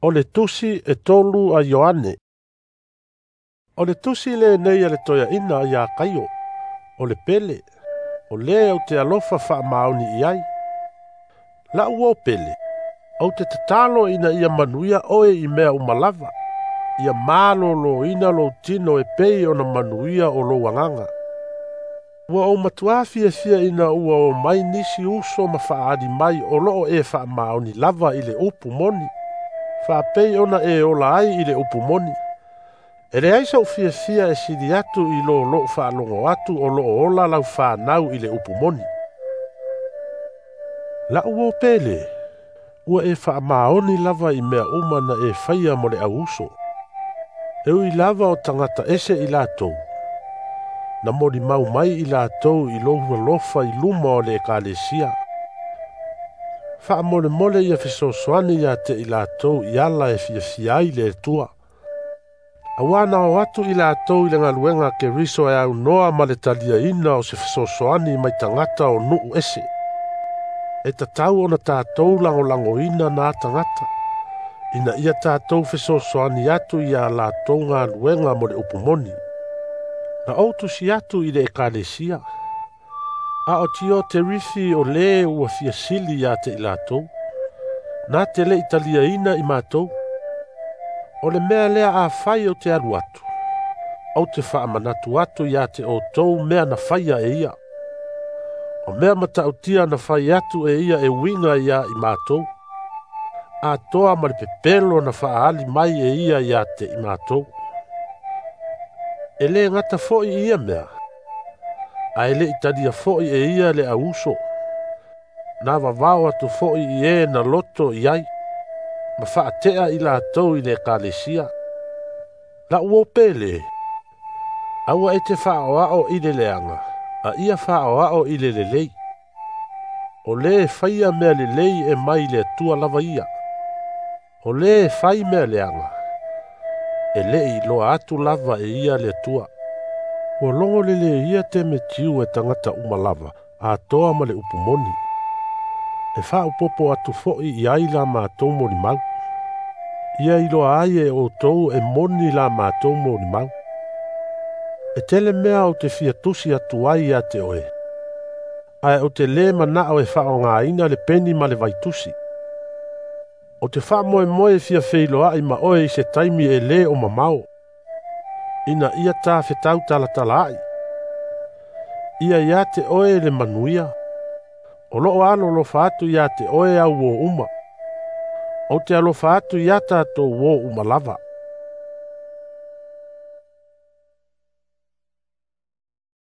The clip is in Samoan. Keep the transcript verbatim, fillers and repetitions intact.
O le tusi e tolu a Ioane. O le tusi lenei a le toeaina ia Kaio, o le pele, o le ou te alofa faamaoni i ai. La'u uo pele, ou te tatalo ina ia manuia oe i mea uma lava, ia malōlōina lou tino e pei ona manuia o lou agaga. Ua ou matuā fiafia ina ua omai nisi uso ma faaali mai o loo e faamaoni lava i le upu moni, faapei ona e ola ai i le upu moni. E leai so'u fiafia e sili atu i lo lo'u faalogo atu o loo ola lau fanau i le upu moni. La'u uo pele, ua e faamaoni lava i mea uma na e faia mo le au uso. E ui lava o tagata ese i latou, na molimau mai i latou i lou alofa i luma o le ekalesia. Faamolemole ia fesoasoani ia te i latou i ala e fiafia ai le Atua. Auā na o atu i latou i le galuega a Keriso e aunoa ma le taliaina o se fesoasoani mai tagata o nuu ese. E tatau ona tatou lagolagoina na tagata, ina ia tatou fesoasoani atu ia latou galuega mo le upu moni. Na ou tusi atu i le ekalesia, a o Tioterifi o le ua fia sili ia te i latou, na te le'i taliaina i matou. O le mea lea afai ou te alu atu, ou te faamanatu atu ia te outou mea na faia e ia. O mea matautia na fai atu e ia e uiga ia i matou, atoa ma le pepelo na faaali mai e ia ia te i matou. E lē gata fo'i i ia mea, ae le'i talia fo'i e ia le au uso. Na vavao atu fo'i i e na loto i ai, ma faate'a i latou i le ekalesia. La'u uo pele, aua e te faaoao i le leaga, a ia faaoao i le lelei. O le faia mea lelei e mai le Atua lava ia. O le fai mea leaga, e le'i iloa atu lava e ia le Atua. Ua logo leleia Temetiu e tagata uma lava, atoa ma le upu moni. E faaopopo atu fo'i i ai la matou molimau. Ia iloa ai e outou e moni la matou molimau. E tele mea ou te fia tusi atu ai ia te oe, ae ou te lē mana'o e faaaogāina le peni ma le vaitusi. Ou te faamoemoe e fia feiloa'i ma oe i se taimi e lē o mamao, ina ia ta fetau talatala ai. Ia ia te oe le manuia, o loo alolofa atu ia te oe au uo uma. Ou te alofa atu ia tatou uo uma lava.